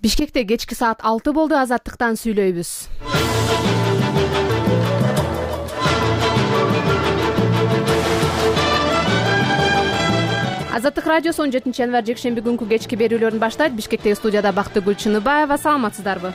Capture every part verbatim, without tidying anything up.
Бишкекте кечки саат алты болду. Азаттыктан сүйлөйбүз. Азаттык радиосу он жетинчи январь жекшемби күнкү кечки берүүлөрүн баштайт. Бишкектеги студияда Бактыгүл Чыныбаева. Саламатсыздарбы?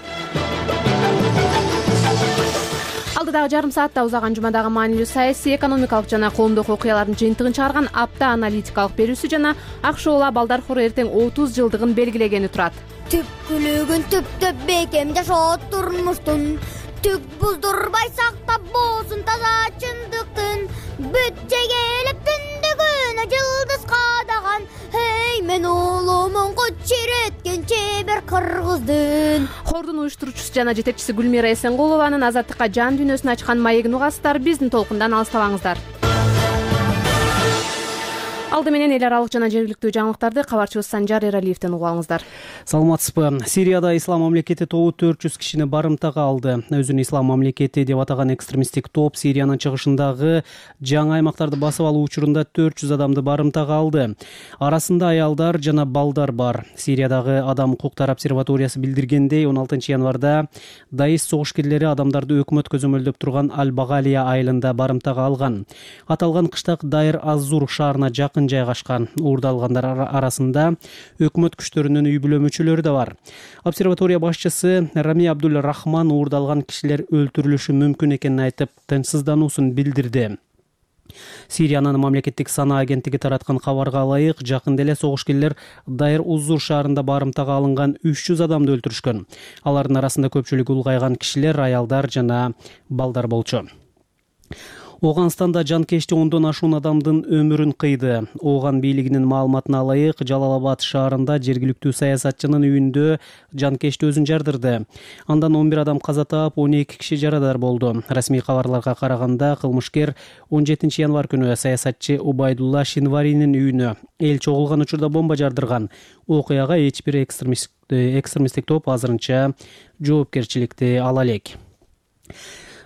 Алдыдагы жарым саатта узаган жумадагы маанилүү саясий, экономикалык жана коомдук окуялардын жыйынтыгын чыгарган апта аналитикалык берүүсү жана Акш уулу балдар хору эртең отуз жылдыгын белгилегени турат. Түпкүлүгүн түптөп бекем жашоо турмуштун, түк буздурбай сактап болсун таза чындыктын, бүт жегелеп түндүгүнө жылдыз кадаган, эй мен улумун кочиреткен чебер кыргыздын. Хордун уюштуруучусу жана жетекчиси Гүлмира Эсенгулованын азаттыкка жан дүйнөсүн ачкан маегин угасыздар. Биздин толкундан алыстабаңыздар. Алды менен эл аралык жана жергиликтүү жаңылыктарды кабарчыбыз Санжар Эралиевден угуп алыңыздар. Саламатсызбы? Сирияда Ислам мамлекети тобу төрт жүз кишини барымтага алды. Өзүн Ислам мамлекети деп атаган экстремисттик топ Сириянын чыгышындагы жаңы аймактарды басып алуу учурунда төрт жүз адамды барымтага алды. Арасында аялдар жана балдар бар. Сириядагы Адам укуктар обсерваториясы билдиргендей, он алтынчы январда даиш согушкерлери адамдарды өкмөт көзөмөлдөп турган Аль-Багалия айылында барымтага алган. Аталган кыштак Дайр аз-Зур шаарына жакын жайгашкан. Уурдалгандар арасында өкмөт күчтөрүнүн үй бүлө мүчөлөрү да бар. Обсерватория башчысы Рами Абдул Рахман уурдалган кишилер өлтүрүлүшү мүмкүн экенин айтып, тынчсыздануусун билдирди. Сириянын мамлекеттик санаа агенттиги тараткан кабарга ылайык, жакында эле согушкерлер Дайр аз-Зур шаарында барымтага алынган үч жүз адамды өлтүрүшкөн. Алардын арасында көпчүлүгү улгайган кишилер, аялдар жана балдар болчу. Оганстанда жанкечти ондон ашуун адамдын өмүрүн кыйды. Ооган бийлигинин маалыматына ылайык, Жалалабад шаарында жергиликтүү саясатчынын үйүндө жанкечти өзүн жардырды. Андан он бир адам каза таап, он эки киши жарадар болду. Расмий кабарларга караганда, кылмышкер он жетинчи январь күнү саясатчы Убайдулла Шинваринин үйүнө эл чогулган учурда бомба жардырган. Окуяга эч бир экстремисттик топ азырынча жоопкерчиликти ала элек.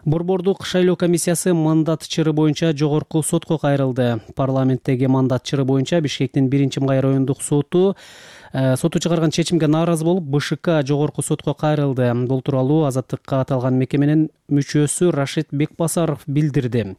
Борбордук шайлоо комиссиясы мандат чыры боюнча жогорку сотко кайрылды. Парламенттеги мандат чыры боюнча Бишкектин биринчи май райондук соту соту чыгарган чечимге нааразы болуп, БШК жогорку сотко кайрылды. Бул тууралуу Азаттыкка аталган мекеменин мүчөсү Рашид Бекбасаров билдирди.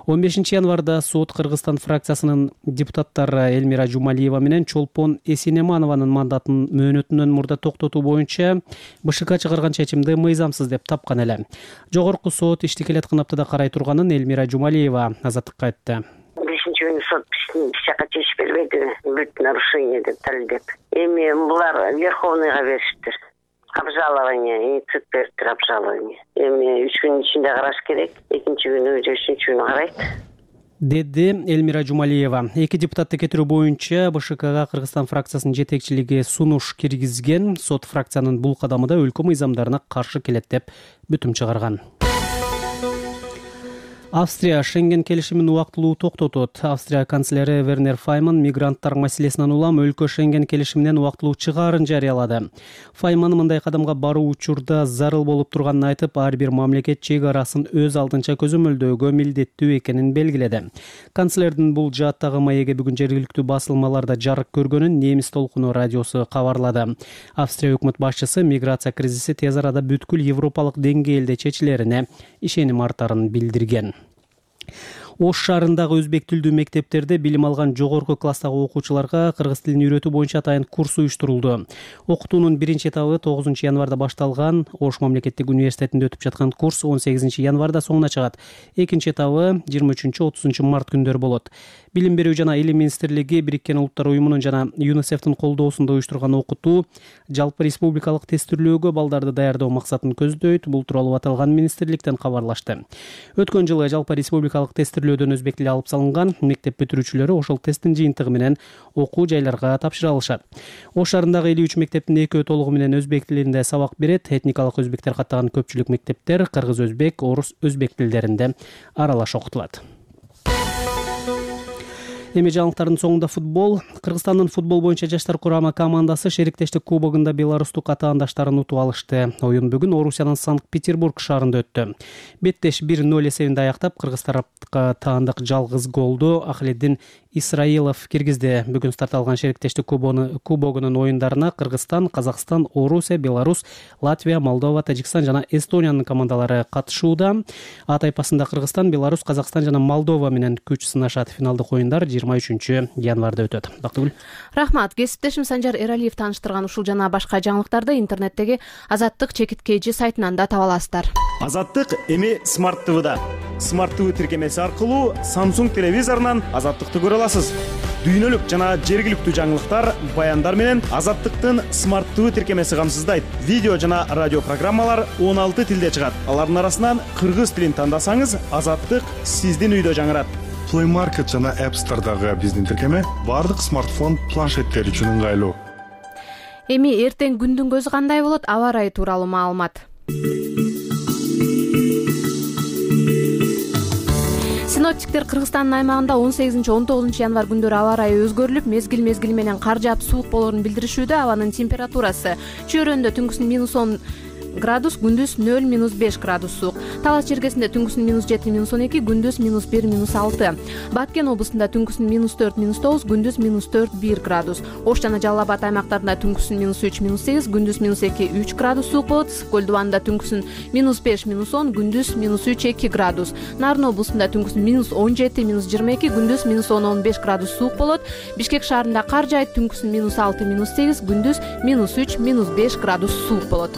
он бешинчи январда сот Кыргызстан фракциясынын депутаттары Элмира Жумалиева менен Чолпон Эсинеманованын мандатын мөөнөтүнөн мурда токтотуу боюнча БШК чыгарган чечимди мыйзамсыз деп тапкан эле. Жогорку сот ишти келаткан аптада карай турганын Элмира Жумалиева Азаттыкка айтты. бешинчи күнү сот биз жака чечип бербеди, бүт нарушение деп талдеп. Эми булар Верховныйга беришиптир. Обжалование, инициатив бериптир обжалование. Эми үч күнүн ичинде караш керек. Экинчи күнү же үчүнчү күнү карайт. Деди Элмира Жумалиева. Эки депутатты кетирүү боюнча БШКга Кыргызстан фракциясынын жетекчилиги сунуш киргизген. Сот фракциянын бул кадамы да өлкө мыйзамдарына каршы келет деп бүтүм чыгарган. Австрия Шенген келишимин убактылуу токтотот. Австрия канцлери Вернер Файман мигранттар маселесинен улам өлкө Шенген келишиминен убактылуу чыгаарын жарыялады. Файман мындай кадамга баруу учурда зарыл болуп турганын айтып, ар бир мамлекет чек арасын өз алдынча көзөмөлдөөгө милдеттүү экенин белгиледи. Канцлердин бул жааттагы маеги бүгүн жергиликтүү басылмаларда жарык көргөнүн Немис толкуну радиосу кабарлады. Австрия өкмөт башчысы миграция кризиси тез арада бүткүл европалык деңгээлде чечилерине ишеним артарын билдирген. Ош шаарындагы өзбек тилдүү мектептерде билим алган жогорку класстагы окуучуларга кыргыз тилин үйрөтүү боюнча атайын курс уюштурулду. Окутуунун биринчи этабы тогузунчу январда башталган. Ош мамлекеттик университетинде өтүп жаткан курс он сегизинчи январда соңуна чыгат. Экинчи этабы жыйырма үчүнчү отузунчу март күндөрү болот. Билим берүү жана илим министрлиги Бириккен Улуттар уюмунун жана ЮНИСЕФтин колдоосунда уюштурган окутуу жалпы республикалык тестирлөөгө балдарды даярдоо максатын көздөйт. Бул тууралуу аталган министрликтен кабарлашты. Өткөн жылы жалпы республикалык тестирлөөдөн өзбек тили алып салынган. Мектеп бүтүрүүчүлөрү ошол тесттин жыйынтыгы менен окуу жайларга тапшыра алышат. Ош шаарындагы элүү үч мектептин экөө толугу менен өзбек тилинде сабак берет. Этникалык өзбектер каттаган көпчүлүк мектептер кыргыз, өзбек, орус, өзбек тилдеринде аралаш окутулат. Эми жаңылыктардын соңунда футбол. Кыргызстандын футбол боюнча жаштар курама командасы шериктештик кубогунда беларустук атаандаштарын утуп алышты. Оюн бүгүн Орусиянын Санкт-Петербург шаарында өттү. Беттеш бир ноль эсебинде аяктап, кыргыз тарапка таандык жалгыз голду Ахледдин Исраилов киргизди. Бүгүн старт алган шериктештик кубогунун оюндарына Кыргызстан, Казакстан, Орусия, Беларусь, Латвия, Молдова, Тажикстан жана Эстониянын командалары катышууда. А тайпасында Кыргызстан, Беларусь, Казакстан жана Молдова менен күч сынашат. Финалдык оюндар жыйырма үчүнчү январда өтөт. Бактыгүл. Рахмат. Кесиптешим Санжар Эралиев тааныштырган ушул жана башка жаңылыктарды интернеттеги Азаттык чекиткейчи сайтынан да таба аласыздар. Азаттык эми Смарт ТВда. Смарт ТВ тиркемеси аркылуу Samsung телевизорунан Азаттыкты көрө аласыз. Дүйнөлүк жана жергиликтүү жаңылыктар, баяндар менен Азаттыктын Смарт ТВ тиркемеси камсыздайт. Видео жана радио программалар он алты тилде чыгат. Алардын арасынан кыргыз тилин тандасаңыз, Азаттык сиздин үйдө жаңырат. Play Market жана App Store'дагы биздин тиркеме бардык смартфон, планшеттер үчүн ыңгайлуу. Эми эртең күндүн көзү кандай болот? Аба ырайы тууралуу маалымат. Синоптиктер Кыргызстандын аймагында он сегизинчи он тогузунчу январ күндөрү аба ырайы өзгөрүлүп, мезгил-мезгили менен кар жаап суук болоорун билдиришүүдө. Абанын температурасы чөйрөндө түнкүсүн минус он градус, күндүз нөл минус беш градус суук. Талас жергесинде түнкүсүн минус жети минус он эки, күндүз минус бир минус алты. Баткен областында түнкүсүн минус төрт минус тогуз, күндүз минус төрт бир градус. Ош жана Жалал Абад аймактарында түнкүсүн минус үч минус сегиз, күндүз минус эки үч градус суук болот. Көл Дубанында түнкүсүн минус беш минус он, күндүз минус үч эки градус. Нарын областында түнкүсүн минус он жети минус жыйырма эки, күндүз минус он он беш градус суук болот. Бишкек шаарында кар жаайт, түнкүсүн минус алты минус сегиз, күндүз минус үч минус беш градус суук болот.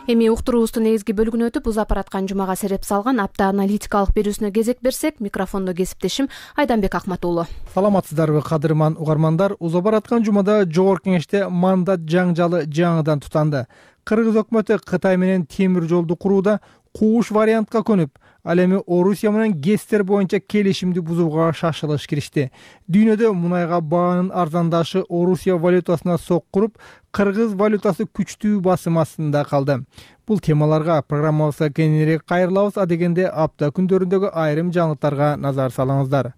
Эми уктуруубуздун негизги бөлүгүнө өтүп, уз апараткан жумага сереп салган апта аналитикалык берүүсүнө кезек берсек, микрофондо кесиптешим Айданбек Акматуулу. Саламатсыздарбы, кадырман угармандар. Уз апараткан жумада Жогорку Кеңеште мандат жаңжалы жаңыдан тутанды. Кыргыз өкмөтү Кытай менен темир жолду курууда кууш вариантка көнүп, ал эми Орусия менен ГЭСтер боюнча келишимди бузууга шашылыш киришти. Дүйнөдө мунайга баанын арзандашы Орусия валютасына соккуруп, кыргыз валютасы күчтүү басым астында калды. Бул темаларга программабызга кеңирээк кайрылабыз. Адегенде апта күндөрүндөгү айрым жаңылыктарга назар салыңыздар.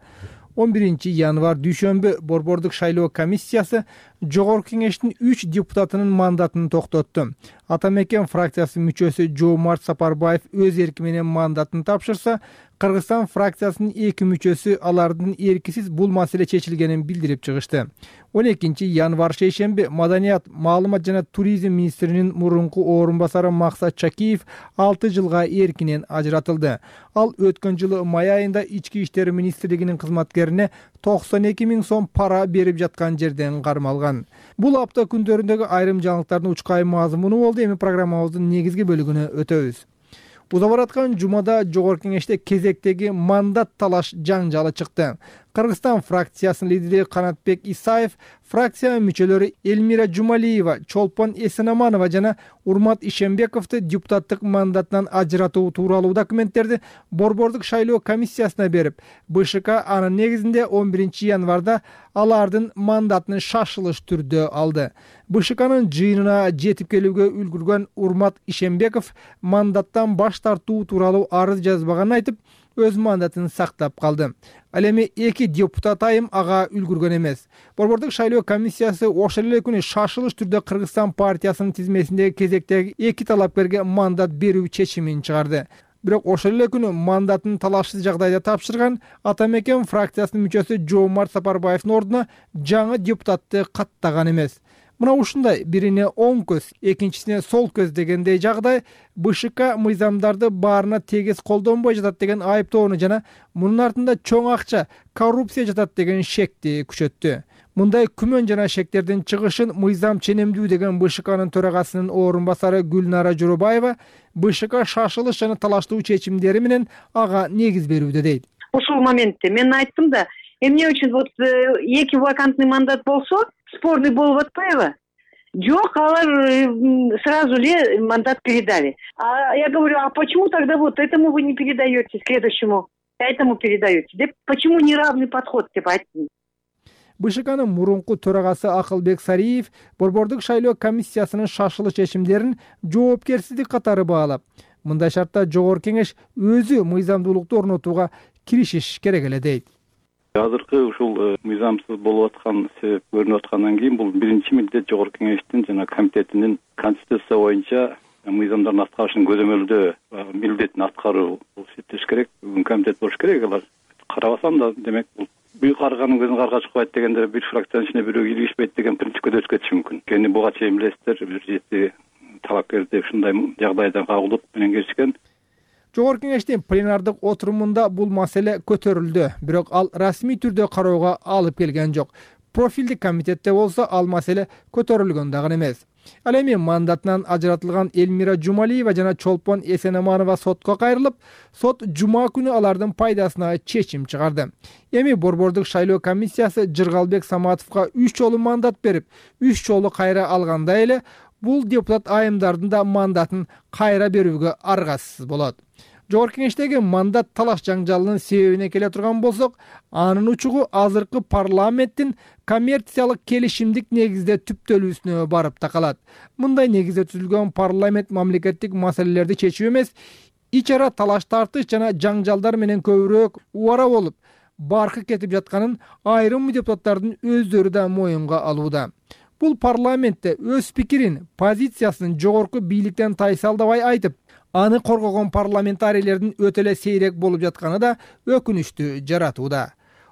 он биринчи январ дүйшөмбү Борбордук шайлоо комиссиясы Жогорку Кеңештин үч депутатынын мандатын токтотту. Атамекен фракциясы мүчөсү Жоомарт Сапарбаев өз эрки менен мандатын тапшырса, Кыргызстан фракциясынын эки мүчөсү алардын эркисиз бул маселе чечилгенин билдирип чыгышты. он экинчи январ шейшемби Маданият, маалымат жана туризм министринин мурунку орун басары Максат Чакиев алты жылга эркинен ажыратылды. Ал өткөн жылы май айында Ички иштер министрлигинин кызматкерине токсон эки миң сом пара берип жаткан жерден кармалган. Бул апта күндөрүндөгү айрым жаңылыктардын учкай мазмуну болду. Эми программабыздын негизги бөлүгүнө өтөбүз. Уз апараткан жумада Жогорку Кеңеште кезектеги мандат талаш жаңжалы чыкты. Кыргызстан фракциясынын лидери Канатбек Исаев, фракция мүчөлөрү Элмира Жумалиева, Чолпон Эсенаманова жана Урмат Ишембековду депутаттык мандатынан ажыратуу тууралуу документтерди Борбордук шайлоо комиссиясына берип, БШК анын негизинде он биринчи январда алардын мандатын шашылыш түрдө алды. БШКнын жыйынына жетип келүүгө үлгүргөн Урмат Ишембеков мандаттан баш тартуу тууралуу арыз жазбаганын айтып, өз мандатын сактап калды. Ал эми эки депутат айым ага үлгүргөн эмес. Борбордук шайлоо комиссиясы ошол эле күнү шашылыш түрдө Кыргызстан партиясынын тизмесиндеги кезектеги эки талапкерге мандат берүү чечимин чыгарды. Бирок ошол эле күнү мандатын талашсыз жагдайда тапшырган Атамекен фракциясынын мүчөсү Жоомарт Сапарбаевдин ордуна жаңы депутатты каттаган эмес. Мына ушундай бирине оң көз, экинчисине сол көз дегендей жагдай БШК мыйзамдарды баарына тегиз колдонбой жатат деген айыптоону жана мунун артында чоң акча, коррупция жатат деген шекти күчөттү. Мындай күмөн жана шектердин чыгышын мыйзам ченемдүү деген БШКнын төрагасынын орун басары Гүлнара Жоробаева БШК шашылыш жана талаштуу чечимдери менен ага негиз берүүдө дейт. Ушул моментте мен айттым да, эмне үчүн вот эки вакантный мандат болсо, спорный болуп атпайбы? Жок, алар сразу эле мандат передали. А я говорю, а почему тогда вот этому вы не передаете, следующему, этому передаете? Да почему неравный подход, деп айттым. БШКнын мурунку төрагасы Акылбек Сариев борбордук шайлоо комиссиясынын шашылыш чечимдерин жоопкерсиздик катары баалап, мындай шартта жогорку кеңеш өзү мыйзамдуулукту орнотууга киришиш керек эле дейт. Азыркы ушул мыйзамсыз болуп аткан себеп көрүнүп аткандан кийин бул биринчи милдет жогорку кеңештин жана комитетинин конституция боюнча мыйзамдардын аткарышын көзөмөлдөө милдетин аткаруу эсептеш керек. Бүгүн комитет болуш керек. Алар карабасам да, демек бул бүй карганын көзүн карга чыкпайт дегенде бир фракциянын ичине бирөө киргизбейт деген принципке да өтүп кетиши мүмкүн. Кени буга чейин билесиздер, бир жети талапкерди ушундай жагдайда кагылып менен киришкен. Жогорку кеңештин пленардык отурумунда бул маселе көтөрүлдү, бирок ал расмий түрдө кароого алып келген жок. Профилдик комитетте болсо ал маселе көтөрүлгөн дагы эмес. Ал эми мандатынан ажыратылган Элмира Жумалиева жана Чолпон Эсенаманова сотко кайрылып, сот жума күнү алардын пайдасына чечим чыгарды. Эми борбордук шайлоо комиссиясы Жыргалбек Саматовго үч жолу мандат берип, үч жолу кайра алгандай эле бул депутат айымдардын да мандатын кайра берүүгө аргасыз болот. Жогорку кеңештеги мандат талаш жаңжалынын себебине келе турган болсок, анын учугу азыркы парламенттин коммерциялык келишимдик негизде түптөлүүсүнө барып такалат. Мындай негизде түзүлгөн парламент мамлекеттик маселелерди чечүү эмес, ич ара талаш тартыш жана жаңжалдар менен көбүрөөк убара болуп, баркы кетип жатканын айрым депутаттардын өздөрү да моюнга алууда. Бул парламентте өз пикирин, позициясын жогорку бийликтен тайсалдабай айтып, аны коргогон парламентарийлердин өтө эле сейрек болуп жатканы да өкүнүчтү жаратууда.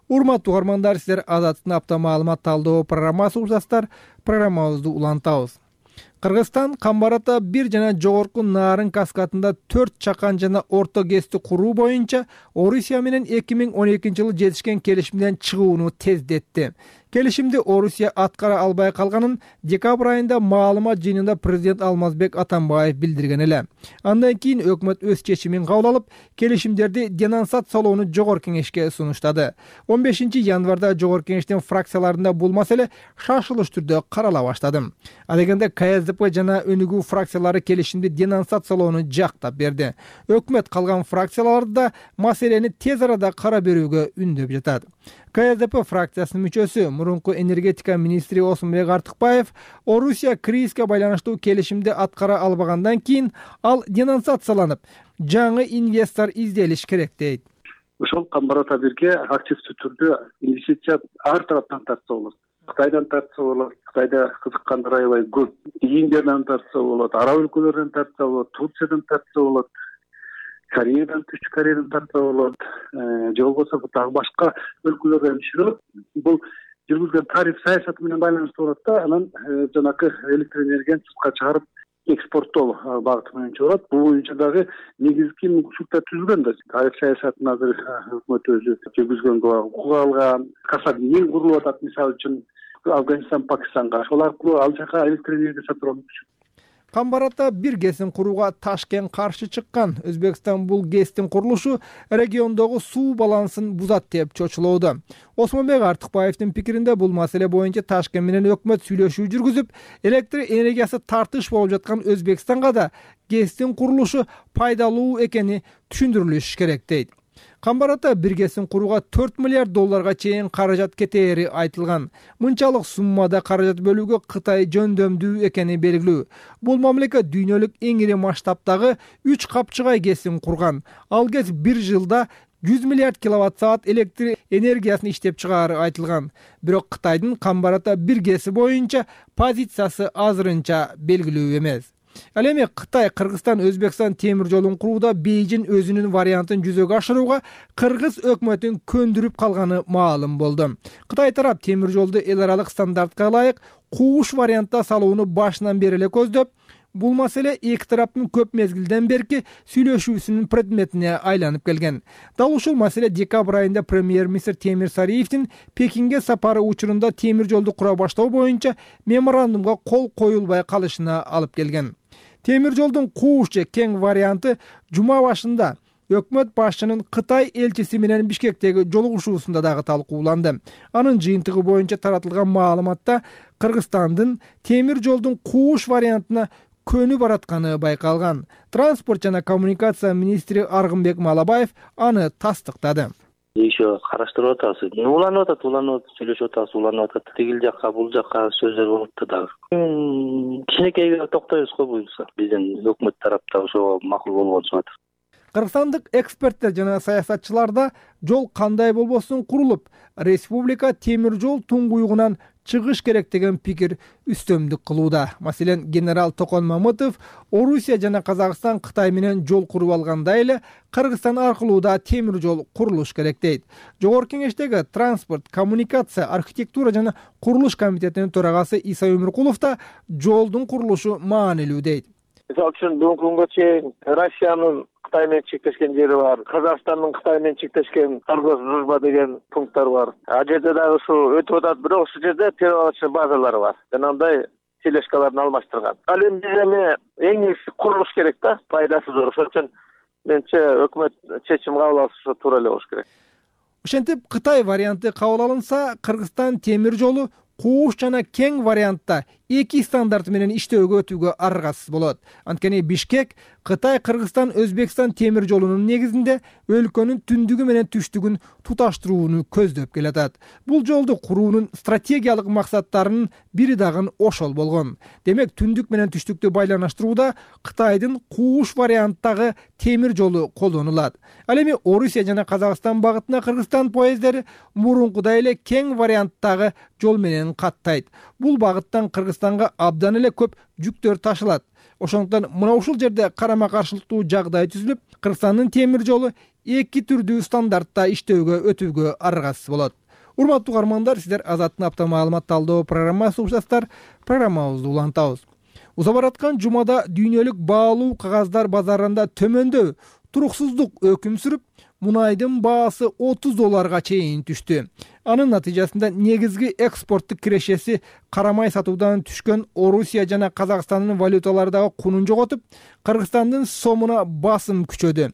Урматтуу угармандар, силер Азаттыктын апта маалымат талдоо программасы угушасыздар. Программабызды улантабыз. Кыргызстан Камбарата бир жана жогорку Нарын каскадында төрт чакан жана орто гэсти куруу боюнча Орусия менен эки миң он экинчи жылы жетишкен келишимден чыгууну тездетти. Келишимди Орусия аткара албай калганын декабрь айында маалымат жыйынында президент Алмазбек Атамбаев билдирген эле. Андан кийин өкмөт өз чечимин кабыл алып, келишимдерди денонсациялоону жогорку кеңешке сунуштады. он бешинчи январда жогорку кеңештин фракцияларында бул маселе шашылыш түрдө карала баштады. Ал дегенде КСДП жана Өнүгүү фракциялары келишимди денонсациялоону жактап берди. Өкмөт калган фракцияларды да маселени тез арада кара берүүгө үндөп жатат. КСДП фракциясынын мүчөсү, мурунку энергетика министри Осмонбек Артыкбаев Орусия кризиске байланыштуу келишимди аткара албагандан кийин ал денонсацияланып, жаңы инвестор изделиш керек дейт. Ошол Камбарата бирге активдүү түрдө инвестиция ар тараптан тартса болот. Кытайдан тартса болот, Кытайда кызыккандар аябай көп. Индиядан тартса болот, араб өлкөлөрүнөн тартса болот, Турциядан тартса болот, Кореядан, Түштүк Кореядан тартса болот, же болбосо дагы башка өлкөлөрдөн иширип, бул жүргүзгөн тариф саясаты менен байланыштуу болот да, анан жанакы электр энергияны сыртка чыгарып экспорттоо багыты менен чыгарат. Бул боюнча дагы негизги мүмкүнчүлүктөр түзүлгөн да. Тариф саясатын азыр өкмөт өзү жүргүзгөнгө укук алган. Касаб-Нил курулуп атат, мисалы үчүн Афганистан, Пакистанга. Ошол аркылуу ал жака электр энергия сатып алуу мүмкүн. Камбарата бир гэсин курууга Ташкент каршы чыккан. Өзбекстан бул гэстин курулушу региондогу суу балансын бузат деп чочулоодо. Осмонбек Артыкбаевдин пикиринде бул маселе боюнча Ташкент менен өкмөт сүйлөшүү жүргүзүп, электр энергиясы тартыш болуп жаткан Өзбекстанга да гэстин курулушу пайдалуу экени түшүндүрүлүш керек дейт. Камбарата бир гэсин курууга төрт миллиард долларга чейин каражат кетери айтылган. Мынчалык суммада каражат бөлүүгө Кытай жөндөмдүү экени белгилүү. Бул мамлекет дүйнөлүк эң ири масштабтагы үч капчыгай гэсин курган. Ал гэс бир жылда жүз миллиард киловатт саат электр энергиясын иштеп чыгаары айтылган. Бирок Кытайдын Камбарата бир гэси боюнча позициясы азырынча белгилүү эмес. Ал эми Кытай Кыргызстан Өзбекстан темир жолун курууда Бейжин өзүнүн вариантын жүзөгө ашырууга Кыргыз өкмөтүн көндүрүп калганы маалым болду. Кытай тарап темир жолду эл аралык стандартка ылайык кууш вариантта салууну башынан бери эле көздөп, бул маселе эки тараптын көп мезгилден берки сүйлөшүүсүнүн предметине айланып келген. Дал ушул маселе декабрь айында премьер-министр Темир Сариевдин Пекинге сапары учурунда темир жолду кура баштоо боюнча меморандумга кол коюлбай калышына алып келген. Темир жолдун кууш же кең варианты жума башында өкмөт башчынын Кытай элчиси менен Бишкектеги жолугушуусунда дагы талкууланды. Анын жыйынтыгы боюнча таратылган маалыматта Кыргызстандын темир жолдун кууш вариантына көнү баратканы байкалган. Транспорт жана коммуникация министри Аргынбек Малабаев аны тастыктады. еще караштырып атабыз. Уланып атат, уланып атат, сүйлөшүп атабыз, уланып атат. Тигил жакка, бул жакка сөздөр болуп атат дагы. Кичинекейге токтойбуз го буюрса. Биздин өкмөт тараптан ошого макул болгон чыгат. Кыргызстандык эксперттер жана саясатчыларда жол кандай болбосун курулуп, республика темир жол туңгуюгунан чыгыш керек деген пикир үстөмдүк кылууда. Маселен, генерал Токон Мамытов Орусия жана Казакстан Кытай менен жол куруп алгандай эле Кыргызстан аркылуу да темир жол курулуш керек дейт. Жогорку кеңештеги транспорт, коммуникация, архитектура жана курулуш комитетинин төрагасы Иса Өмүркулов да жолдун курулушу маанилүү дейт. Мисалы үчүн бүгүнкү күнгө чейин Россиянын Кытай менен чектешкен жери бар, Казакстандын Кытай менен чектешкен торгоз дружба деген пункттар бар. А жерде дагы ушу өтүп атат, бирок ушул жерде перевалочный базалары бар. Жанагындай тележкаларын алмаштырган. Ал эми биз эми эң негизги курулуш керек да, пайдасы зор. Ошон үчүн менимче өкмөт чечим кабыл алышы туура эле болуш керек. Ошентип Кытай варианты кабыл алынса, Кыргызстан темир жолу кууш жана кең вариантта эки стандарт менен иштөөгө өтүүгө аргасыз болот. Анткени Бишкек Кытай, Кыргызстан, Өзбекстан темир жолунун негизинде өлкөнүн түндүгү менен түштүгүн туташтырууну көздөп келатат. Бул жолду куруунун стратегиялык максаттарынын бири дагы ошол болгон. Демек, түндүк менен түштүктү байланыштырууда Кытайдын кууш варианттагы темир жолу колдонулат. Ал эми Орусия жана Казакстан багытына Кыргызстан поезддери мурункудай эле кең варианттагы жол менен каттайт. Бул багыттан Кыргызстанга абдан эле көп жүктөр ташылат. Ошондуктан мына ушул жерде карама-каршылыктуу жагдай түзүлүп, Кыргызстандын темир жолу эки түрдүү стандартта иштөөгө өтүүгө аргасыз болот. Урматтуу угармандар, сиздер Азаттын апта маалымат талдоо программасы угушасыздар. Программабызды улантабыз. Уза бараткан жумада дүйнөлүк баалуу кагаздар базарында төмөндөй туруксуздук өкүм сүрүп, мунайдын баасы отуз долларга чейин түштү. Анын натыйжасында негизги экспорттук кирешеси карамай сатуудан түшкөн Орусия жана Казакстандын валюталары дагы кунун жоготуп, Кыргызстандын сомуна басым күчөдү.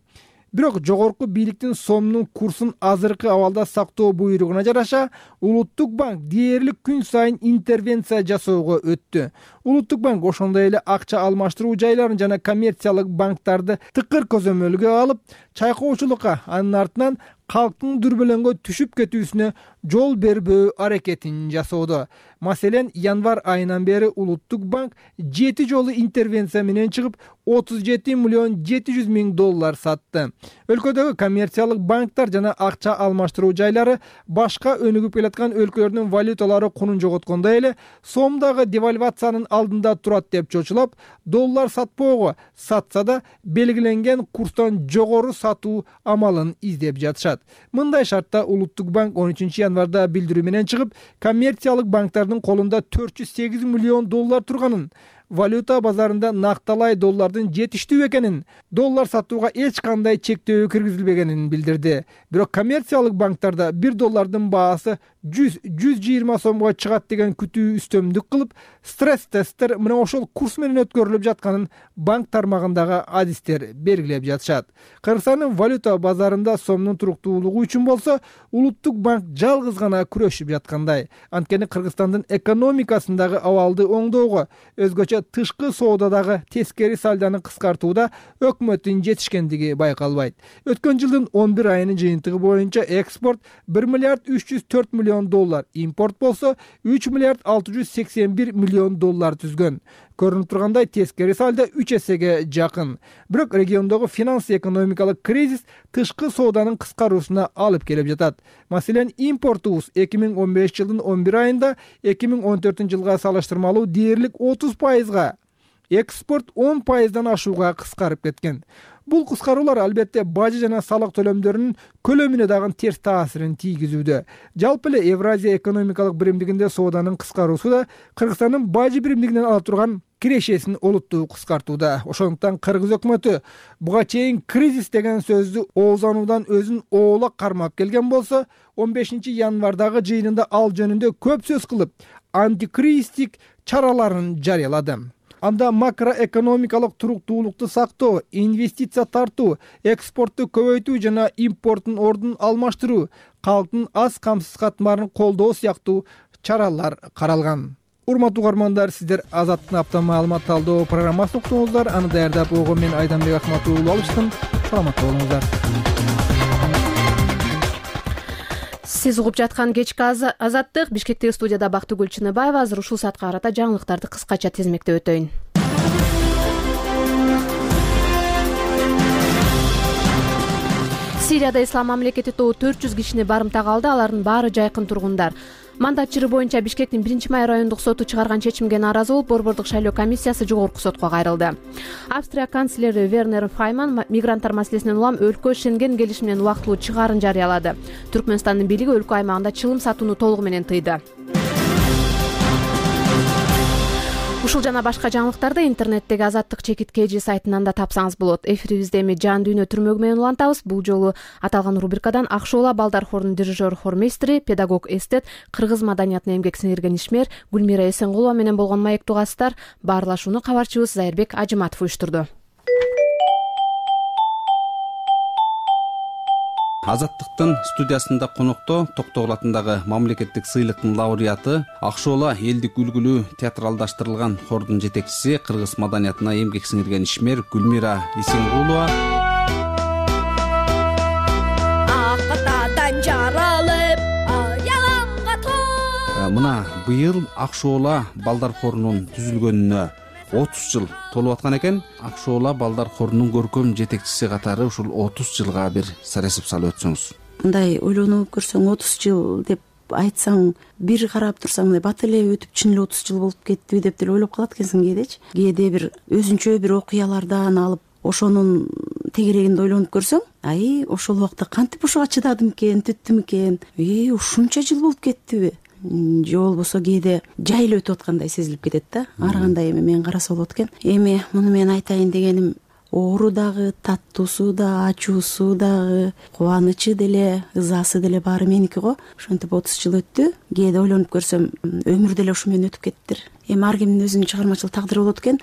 Бирок жогорку бийликтин сомдун курсун азыркы абалда сактоо буйругуна жараша, Улуттук банк дээрлик күн сайын интервенция жасоого өттү. Улуттук банк ошондой эле акча алмаштыруу жайларын жана коммерциялык банктарды тыкыр көзөмөлгө алып, чайкоочулукка, анын артынан калктын дүрбөлөңгө түшүп кетүүсүнө жол бербөө аракетин жасоодо. Маселен, январь айынан бери Улуттук банк жети жолу интервенция менен чыгып, отуз жети миллион жети жүз миң доллар сатты. Өлкөдөгү коммерциялык банктар жана акча алмаштыруу жайлары башка өнүгүп келаткан өлкөлөрдүн валюталары кунун жоготкондой эле, сом дагы девальвациянын алдында турат деп чочулап, доллар сатпоого, сатса да белгиленген курстан жогору сатуу амалын издеп жатышат. Мындай шартта Улуттук банк он үчүнчү январда билдирүү менен чыгып, коммерциялык банктардын колунда төрт жүз сегиз миллион доллар турганын, валюта базарында накталай доллардын жетиштүү экенин, доллар сатууга эч кандай чектөө киргизилбегенин билдирди. Бирок коммерциялык банктарда бир доллардын баасы жүз жүз жыйырма сомго чыгат деген күтүү үстөмдүк кылып, стресс-тесттер мына ошол курс менен өткөрүлүп жатканын банк тармагындагы адистер белгилеп жатышат. Кыргызстандын валюта базарында сомдун туруктуулугу үчүн болсо, Улуттук банк жалгыз гана күрөшүп жаткандай. Анткени Кыргызстандын экономикасындагы абалды оңдоого, өзгөчө тышкы соодадагы тескери сальданы кыскартууда өкмөттүн жетишкендиги байкалбайт. Өткөн жылдын он бир айынын жыйынтыгы боюнча экспорт бир миллиард үч жүз төрт миллион доллар, импорт болсо үч миллиард алты жүз сексен бир миллион доллар түзгөн. Көрүнүп тургандай, тескери сальдо үч эсеге жакын. Бирок региондогу финанс-экономикалык кризис тышкы сооданын кыскаруусуна алып келип жатат. Маселен, импортубуз эки миң он бешинчи жылдын он бир айында эки миң он төртүнчү жылга салыштырмалуу дээрлик отуз пайызга, экспорт он пайыздан ашууга кыскарып кеткен. Бул кыскаруулар албетте бажы жана салык төлөмдөрүнүн көлөмүнө дагы терс таасирин тийгизүүдө. Жалпы эле Евразия экономикалык биримдигинде сооданын кыскаруусу да Кыргызстандын бажы биримдигинен ала турган кирешесин олуттуу кыскартууда. Ошондуктан Кыргыз өкмөтү буга чейин кризис деген сөздү оозануудан өзүн оолак кармап келген болсо, он бешинчи январдагы жыйынында ал жөнүндө көп сөз кылып, антикризистик чараларын жарыялады. Анда макроэкономикалык туруктуулукту сактоо, инвестиция тартуу, экспортту көбөйтүү жана импорттун ордун алмаштыруу, калктын аз камсыз катмарын колдоо сыяктуу чаралар каралган. Урматтуу угармандар, сиздер Азаттын апта маалымат талдоо программасын уктуңуздар. Аны даярдап койгон мен Айданбек Акматов уулу алыштым. Саламатта болуңуздар. Сиз угуп жаткан кечки азаттык. Бишкектеги студияда Бактыгүл Чыныбаева. Азыр ушул саатка карата жаңылыктарды кыскача тизмектеп өтөйүн. Сирияда Ислам мамлекети тобу төрт жүз кишини барымтага алды. Алардын баары жайкын тургундар. Мандат чыры боюнча Бишкектин биринчи май райондук соту чыгарган чечимге нааразы болуп, борбордук шайлоо комиссиясы жогорку сотко кайрылды. Австрия канцлери Вернер Файман мигранттар маселесинен улам өлкө Шенген келишиминен убактылуу чыгаарын жарыялады. Түркмөнстандын бийлиги өлкө аймагында чылым сатууну толугу менен тыйды. Ушул жана башка жаңылыктарды интернеттеги Азаттык чекит kg сайтынан да тапсаңыз болот. Эфирибизде эми жан дүйнө түрмөгү менен улантабыз. Бул жолу аталган рубрикадан Акшоола балдар хорунун дирижер хормейстери, педагог эстет, кыргыз маданиятына эмгек сиңирген ишмер Гүлмира Эсенкулова менен болгон маектүү угасыздар. Баарлашууну кабарчыбыз Зайырбек Ажыматов уюштурду. Азаттыктын студиясында конокто Токтогул атындагы мамлекеттик сыйлыктын лауреаты, Акшоола элдик үлгүлүү театралдаштырылган хордун жетекчиси, кыргыз маданиятына эмгек сиңирген ишмер Гүлмира Эсенкулова. Акытадан жаралып, аялаңга тоо. Мына быйыл Акшоола балдар хорунун түзүлгөнүнө отуз жыл толуп аткан экен. Акшоола балдар хорунун көркөм жетекчиси катары ушул отуз жылга бир саресип салып өтсөңүз. Мындай ойлонуп көрсөң отуз жыл деп айтсаң, бир карап турсаң мындай бат эле өтүп чын эле отуз жыл болуп кеттиби деп деле ойлоп калат экенсиң кээдечи. Кээде бир өзүнчө бир окуялардан алып ошонун тегерегинде ойлонуп көрсөң, ай ошол убакта кантип ошого чыдадым экен, түттүм экен, и ушунча жыл болуп кеттиби же болбосо кээде жай эле өтүп аткандай сезилип кетет да. Ар кандай эми мен караса болот экен. Эми муну мен айтайын дегеним, оору дагы, таттуусу да, ачуусу дагы, кубанычы деле, ызасы деле баары меники го. Ошентип отуз жыл өттү. Кээде ойлонуп көрсөм, өмүр деле ушу менен өтүп кеттир. Эми ар кимдин өзүнүн чыгармачылык тагдыры болот экен.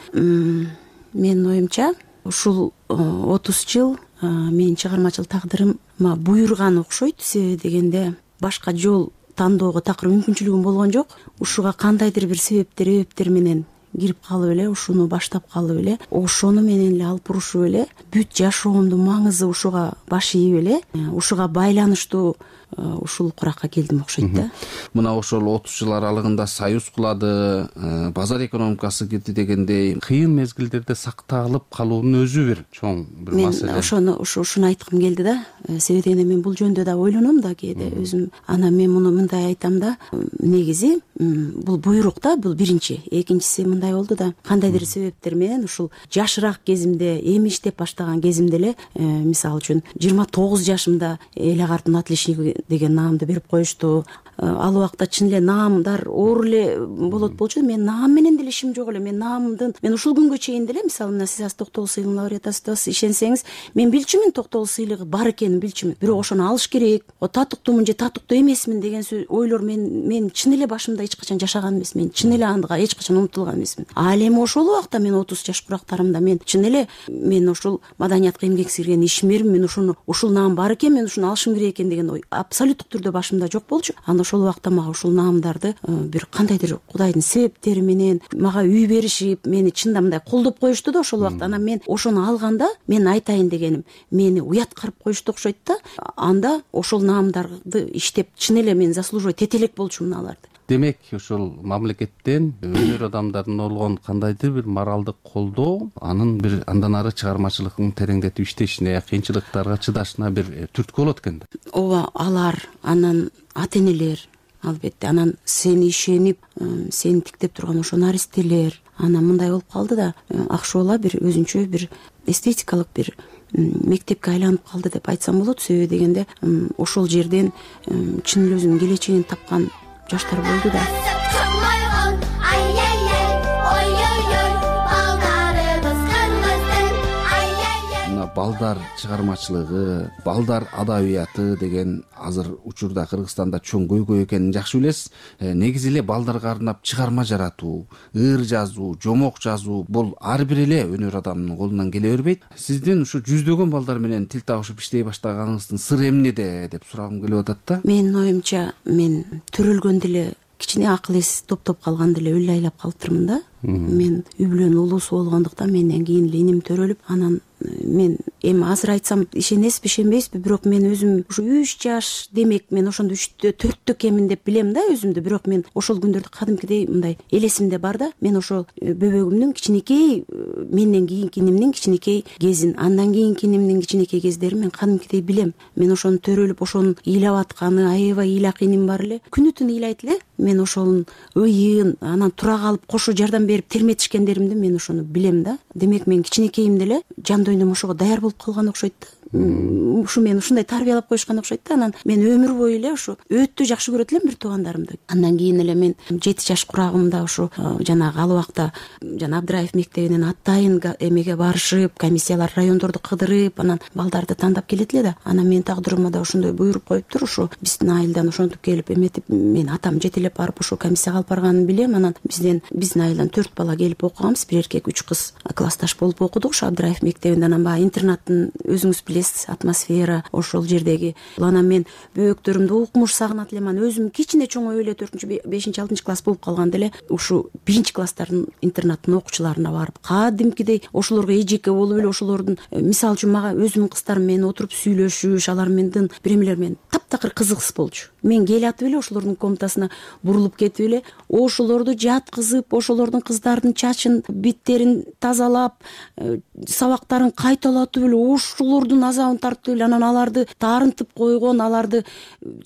Менин оюмча ушул отуз жыл менин чыгармачылык тагдырыма буйруган окшойт. Себеби дегенде башка жол тандоого такыр мүмкүнчүлүгүм болгон жок. Ушуга кандайдыр бир себептер эбептер менен кирип калып эле, ушуну баштап калып эле, ошону менен эле алып урушуп эле, бүт жашоомдун маңызы ушуга баш ийип эле, ушуга байланыштуу ушул куракка келдим окшойт да. Мына ошол отуз жыл аралыгында союз кулады, базар экономикасы кирди дегендей кыйын мезгилдерде сакталып калуунун өзү бир чоң бир маселе. Мен ошону ушуну айткым келди да. Себеби дегенде мен бул жөнүндө да ойлоном да кээде өзүм. Анан мен муну мындай айтам да, негизи бул буйрук да, бул биринчи. Экинчиси мындай болду да, кандайдыр себептер менен ушул жашыраак кезимде, эми иштеп баштаган кезимде эле, мисалы үчүн жыйырма тогуз жашымда эле картын отличниги деген наамды берип коюшту. Ал убакта чын эле наамдар оор эле болот болчу. Мен наам менен деле ишим жок эле. Мен наамдын, мен ушул күнгө чейин деле, мисалы мына сиз Токтогул сыйлыгынын лауреатысыз, ишенсеңиз, мен билчүмүн Токтогул сыйлыгы бар экенин билчүмүн. Бирок ошону алыш керек. О татыктуумун же татыктуу эмесмин деген ойлор мен мен чын эле башымда эч качан жашаган эмесмин. Мен чын эле ага эч качан умтулган эмесмин. Ал эми ошол убакта мен отуз жаш курактарымда мен чын эле мен ушул маданиятка эмгек сиңирген ишмермин. Мен ушуну ушул наам бар экен, мен ушуну алышым керек экен деген ой абсолюттук түрдө башымда жок болчу. Анда ошол убакта мага ушул наамдарды бир кандайдыр Кудайдын себептери менен мага үй беришип, мени чында мындай колдоп коюшту да ошол убакта. Анан мен ошону алганда, мен айтайын дегеним, мени уят карып коюшту окшойт да. Анда ошол наамдарды иштеп чын эле мен заслуживать эте элек болчумун аларды. Демек, ушул мамлекеттен өнөр адамдарынын болгон кандайдыр бир моралдык колдоо, анын бир андан ары чыгармачылыгын тереңдетип иштешине, кыйынчылыктарга чыдашына бир түрткү болот экен да. Ооба, алар, анан ата энелер, албетте, анан сени ишенип, сени тиктеп турган ошо наристелер, анан мындай болуп калды да, Акшоола бир өзүнчө бир эстетикалык бир мектепке айланып калды деп айтсам болот. Себеби дегенде ошол жерден чын эле өзүнүн келечегин тапкан жаштар болду да. Балдар чыгармачылыгы, балдар адабияты деген азыр учурда Кыргызстанда чоң көйгөй экенин жакшы билесиз. Негизи эле балдарга арнап чыгарма жаратуу, ыр жазуу, жомок жазуу бул ар бир эле өнөр адамынын колунан келе бербейт. Сиздин ушу жүздөгөн балдар менен тил табышып иштей баштаганыңыздын сыры эмнеде деп сурагым келип атат да. Менин оюмча, мен төрөлгөндө эле кичине акыл эс топтоп калганда эле өлө айлап калыптырмын да. Мен үй бүлөнүн улуусу болгондуктан менден кийин эле иним төрөлүп, анан мен эми азыр айтсам ишенесизби ишенбейсизби, бирок мен өзүм ушу үч жаш демек мен ошондо үчтө төрттө кемин деп билем да өзүмдү. Бирок мен ошол күндөрдү кадимкидей мындай элесимде бар да. Мен ошол бөбөгүмдүн кичинекей, менден кийинки инимдин кичинекей кезин, андан кийинки инимдин кичинекей кездерин мен кадимкидей билем. Мен ошону төрөлүп ошонун ыйлап атканы, аябай ыйлак иним бар эле. Күнү түнү ыйлайт эле. Мен ошонун ыйын, анан тура калып кошо жардам берип терметишкендеримди мен ошону билем да. Демек мен кичинекейимде эле жан дүйнөм ошого даяр болуп калган окшойт да. Ушу мен ушундай тарбиялап коюшкан окшойт да. Анан мен өмүр бою эле ушу өтө жакшы көрөт элем бир туугандарымды. Андан кийин эле мен жети жаш курагымда ушу жанагы ал убакта жана Абдыраев мектебинен атайын эмеге барышып, комиссиялар райондорду кыдырып, анан балдарды тандап келет эле да. Анан менин тагдырыма да ошондой буйруп коюптур. Ушу биздин айылдан ошентип келип эметип, мен атам жетелеп барып ушу комиссияга алып барганын билем. Анан бизден биздин айылдан төрт бала келип окуганбыз, бир эркек, үч кыз классташ болуп окудук ушу Абдыраев мектебинде. Анан баягы интернаттын өзүңүз билесиз, атмосфера ошол жердеги. Анан мен бөөктөрүмдү укмуш сагынат элем. Анан өзүм кичине чоңоюп эле төртүнчү, бешинчи, алтынчы класс болуп калганда эле ушу биринчи класстардын интернаттын окуучуларына барып кадимкидей ошолорго эжеке болуп эле ошолордун, мисалы үчүн мага өзүмдүн кыздарым менен отуруп сүйлөшүш, алар менен биремелер менен таптакыр кызыксыз болчу. Мен келатып эле ошолордун комнатасына бурулуп кетип эле ошолорду жаткызып, ошолордун кыздардын чачын, биттерин тазалап, сабактарын кайталатып эле ошолордун азабын тартып эле анан аларды таарынтып койгон, аларды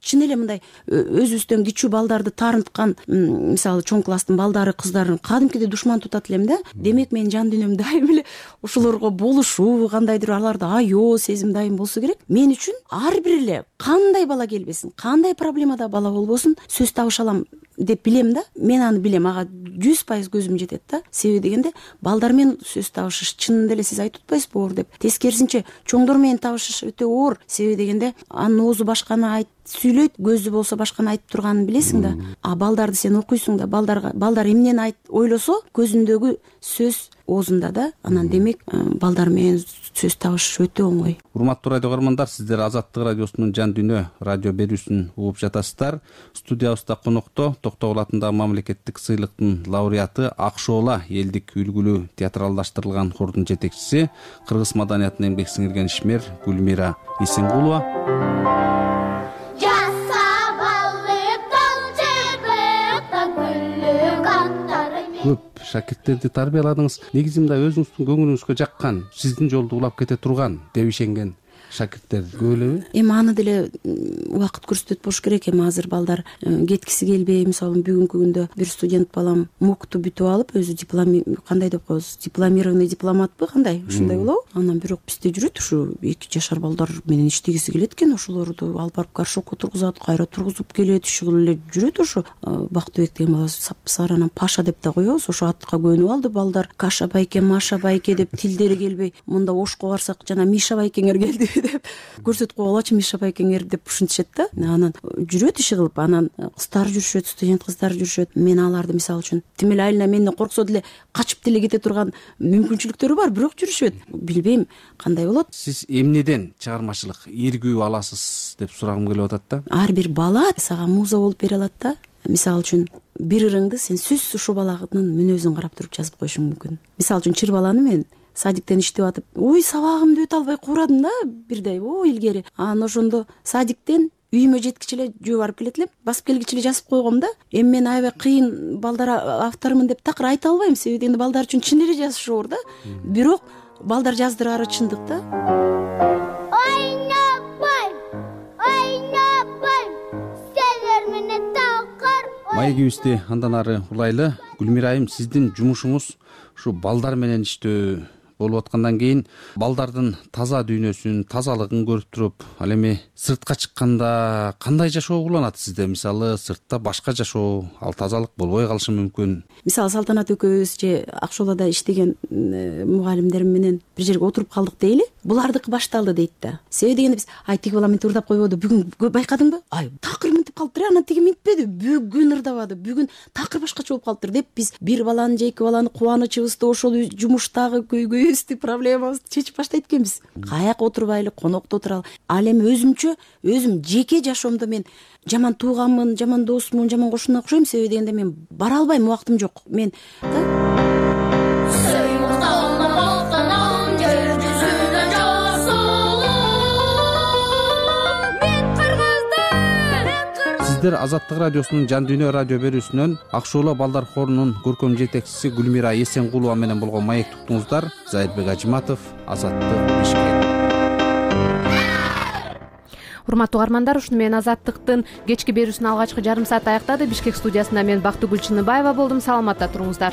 чын эле мындай өзүбүздөн кичүү балдарды таарынткан, мисалы чоң класстын балдары, кыздарын кадимкидей душман тутат элем да. Демек менин жан дүйнөм дайым эле ошолорго болушуу, кандайдыр аларды аё сезим дайым болсо керек. Мен үчүн ар бир эле кандай бала келбесин, кандай проблемада бала болбосун сөз табыша алам деп билем да. Мен аны билем, ага жүз пайыз көзүм жетет да. Себеби дегенде балдар менен сөз табышыш чынында эле сиз айтып атпайсызбы оор деп. Тескерисинче чоңдор менен табышыш өтө оор. Себеби дегенде анын оозу башканы айт сүйлөйт, көзү болсо башканы айтып турганын билесиң да. А балдарды сен окуйсуң да, балдарга балдар эмнени айт ойлосо көзүндөгү сөз оозунда да. Анан демек балдар менен сөз табышыш өтө оңой. Урматтуу радио көрөрмандар, сиздер Азаттык радиосунун Жан дүйнө радио берүүсүн угуп жатасыздар. Студиябызда конокто Токтогул атындагы мамлекеттик сыйлыктын лауреаты, Акшоола элдик үлгүлүү театралдаштырылган хордун жетекчиси, кыргыз маданиятына эмгек сиңирген ишмер Гүлмира Исенгулова. Көп шакирттерди тарбияладыңыз. Негизи мындай өзүңүздүн көңүлүңүзгө жаккан, сиздин жолду улап кете турган деп ишенген шакирттер көп элеби? Эми аны деле убакыт көрсөтөт болуш керек. Эми азыр балдар кеткиси келбей, мисалы бүгүнкү күндө бир студент балам мукту бүтүп алып, өзү диплом, кандай деп коебуз, дипломированный дипломатпы, кандай ушундай болобу? Анан бирок бизде жүрөт ушу эки жашар балдар менен иштегиси келет экен, ошолорду алып барып горшокко тургузат, кайра тургузуп келет, иши кылып эле жүрөт. Ошо Бактыбек деген бала сапсары, анан Паша деп да коебуз. Ошо атка көнүп алды балдар. Каша байке, Маша байке деп тилдери келбей, мында Ошко барсак жана Миша байкеңер келди деп көрсөтүп койгулачы, Миша байкеңер деп ушинтишет да. Анан жүрөт иши кылып, анан кыздар жүрүшөт, студент кыздар жүрүшөт. Мен аларды мисалы үчүн тим эле айылына менден корксо деле качып деле кете турган мүмкүнчүлүктөрү бар, бирок жүрүшөт. Билбейм кандай болот. Сиз эмнеден чыгармачылык ийгүү аласыз деп сурагым келип атат да. Ар бир бала сага муза болуп бере алат да. Мисалы үчүн бир ырыңды сен сөзсүз ушул баланын мүнөзүн карап туруп жазып коюшуң мүмкүн. Мисалы үчүн чыр баланы мен садиктен иштеп атып, ой сабагымды өтө албай куурадым да бирдей, ой илгери. Анан ошондо садиктен үйүмө жеткичи эле жөө барып келет элем, басып келгичи эле жазып койгом да. Эми мен аябай кыйын балдар автормун деп такыр айта албайм, себеби энди балдар үчүн чын эле жазыш оор да. Бирок балдар жаздырары чындык да. Маегибизди андан ары улайлы. Гүлмира айым, сиздин жумушуңуз ушу балдар менен иштөө болуп аткандан кийин балдардын таза дүйнөсүн, тазалыгын көрүп туруп, ал эми сыртка чыкканда кандай жашоо уланат сизде? Мисалы сыртта башка жашоо, ал тазалык болбой калышы мүмкүн. Мисалы Салтанат экөөбүз же Акшоолада иштеген мугалимдерим менен бир жерге отуруп калдык дейли. Булардыкы башталды дейт да. Себеби дегенде биз ай тиги бала мынтип ырдап койбоду, бүгүн байкадыңбы? Ай такыр мынтип калыптыр, анан тиги мынтпеди, бүгүн ырдабады, бүгүн такыр башкача болуп калыптыр деп биз бир баланы же эки баланы кубанычыбызды, ошол жумуштагы көйгөйүбүздү, проблемабызды чечип баштайт экенбиз. Каяка отурбайлы, конокто отуралы. Ал эми өзүмчө, өзүм жеке жашоомдо мен жаман тууганмын, жаман досмун, жаман кошуна окшойм, себеби дегенде мен бара албайм, убактым жок. Мен да сиздер Азаттык радиосунун Жан дүйнө радио берүүсүнөн Ак шууло балдар хорунун көркөм жетекчиси Гүлмира Эсенкулова менен болгон маекти уктуңуздар. Зайырбек Ажыматов, Азаттык, Бишкек. Урматтуу угармандар, ушуну менен Азаттыктын кечки берүүсүнүн алгачкы жарым сааты аяктады. Бишкек студиясында мен Бактыгүл Чыныбаева болдум. Саламатта туруңуздар.